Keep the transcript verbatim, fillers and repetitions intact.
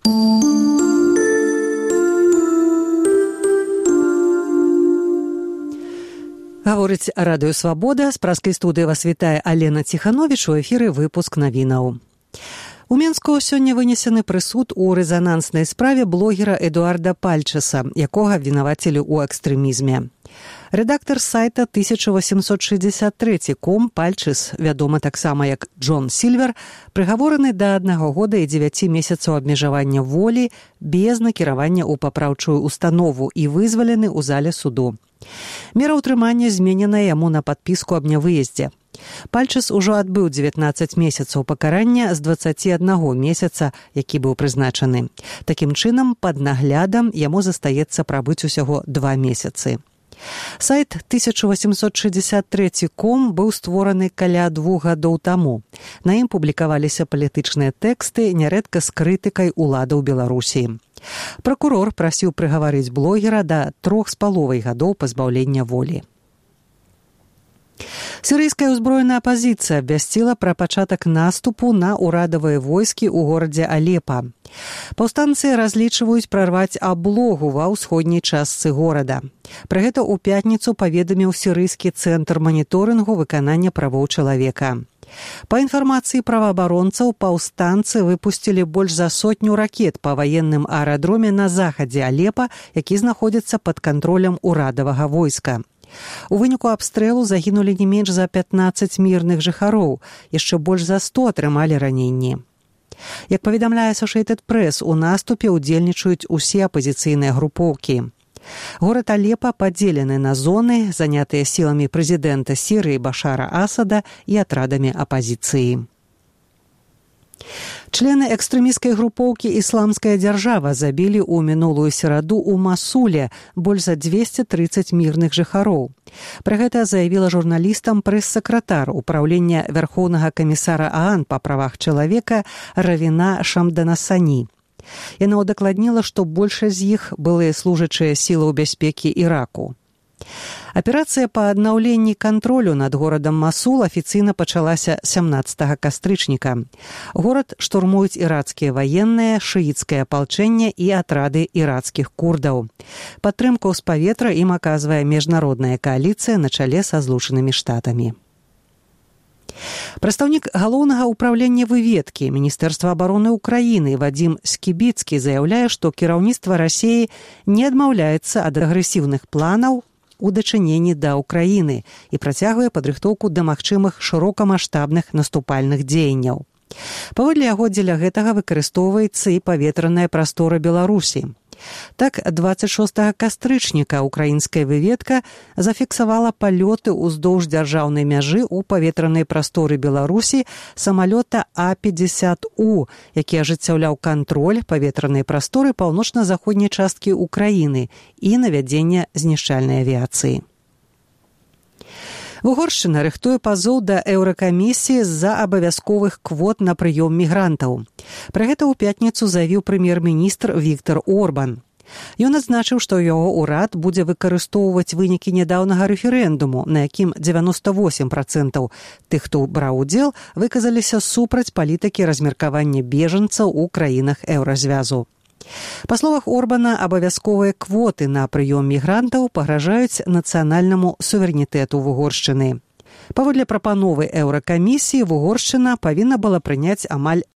Гаворыць радыё «Свабода». З праскай студыі вас вітае Алена Ціхановіч. У эфіры выпуск навінаў. У Менску сёння вынесены прысуд у рэзананснай справе блогера Эдуарда Пальчеса, якога абвінавацілі ў экстрэмізме. Рэдактар сайта тысяча восемьсот шестьдесят три ком Пальчес, вядомы таксама як Джон Сільвер, прыгавораны да аднаго года і дзевяці месяцаў абмежавання волі без накіравання ў папраўчую установу і вызвалены ў зале суду. Мера ўтрымання зменена яму на падпіску аб нявыездзе. Пальчес ужо адбыў дзевятнаццаць месяцаў пакарання з дваццаці аднаго месяца, які быў прызначаны. Такім чынам, пад наглядам яму застаецца прабыць усяго два месяцы. Сайт тысяча восемьсот шестьдесят три ком быў створаны каля двух гадоў таму. На ім публікаваліся палітычныя тэксты, нярэдка з крытыкай уладаў Беларусі. Пракурор прасіў прыгаварыць блогера да трох з паловай гадоў пазбаўлення волі. Сірыйская ўзброеная апазіцыя абвясціла пра пачатак наступу на ўрадавыя войскі ў горадзе Алепа. Паўстанцы разлічваюць прарваць аблогу ва ўсходняй частцы горада. Пра гэта ў пятніцу паведаміў сірыйскі цэнтр маніторынгу выканання правоў чалавека. Па інфармацыі праваабаронцаў, паўстанцы выпусцілі больш за сотню ракет па ваенным аэрадроме на захадзе Алепа, які знаходзіцца пад кантролем урадавага войска. У выніку абстрэлу загінулі не менш за пятнаццаць мірных жыхароў, яшчэ больш за сто атрымалі раненні. Як паведамляе Associated Press, у наступе ўдзельнічаюць усе апазіцыйныя групоўкі. Горад Алепа падзелены на зоны, занятыя сіламі прэзідэнта Сірыі Башара Асада і атрадамі апазіцыі. Члены экстрэмісцкай групоўкі «Ісламская дзяржава» забілі ў мінулую сераду ў Масуле больш за двесце трыццаць мірных жыхароў. Пра гэта заявіла журналістам прэс-сакратар Упраўлення Вярхоўнага камісара ААН па правах чалавека Равіна Шамданасані. Яна ўдакладніла, што большасць з іх былыя служачыя сілаў бяспекі Іраку. Аперацыя па аднаўленні кантролю над горадам Масул афіцыйна пачалася сямнаццатага кастрычніка. Горад штурмуюць ірацкія ваенныя, шыіцкае апалчэнне і атрады ірацкіх курдаў. Падтрымку з паветра ім аказвае міжнародная кааліцыя на чале са Злучанымі Штатамі. Прадстаўнік галоўнага ўпраўлення выведкі Міністэрства абароны Украіны Вадзім Скібіцкі заяўляе, што кіраўніцтва Расіі не адмаўляецца ад агрэсіўных планаў у дачыненні да Украіны і працягвае падрыхтоўку да магчымых шырокамаштабных наступальных дзеянняў. Паводле яго, дзеля гэтага выкарыстоўваецца і паветраная прастора Беларусі. Так, дваццаць шостага кастрычніка украінская выведка зафіксавала палёты ўздоўж дзяржаўнай мяжы ў паветранай прасторы Беларусі самалёта А пятьдесят У, які ажыццяўляў кантроль паветранай прасторы паўночна-заходняй часткі Украіны і навядзення знішчальнай авіяцыі. Угоршчына рыхтуе пазоў да Еўракамісіі з-за абавязковых квот на прыём мігрантаў. Пра гэта ў пятніцу заявіў прэм'ер-міністр Віктор Орбан. Ён адзначыў, што яго ўрад будзе выкарыстоўваць вынікі нядаўнага рэферэндуму, на якім дзевяноста восем працэнтаў тых, хто браў удзел, выказаліся супраць палітыкі размеркавання бежанцаў у краінах еўразвязу. Па словах Орбана, абавязковыя квоты на прыём мігрантаў пагражаюць нацыянальнаму суверэнітэту Угоршчыны. Паводле прапановы Еўракамісіі, Угоршчына павінна была прыняць амаль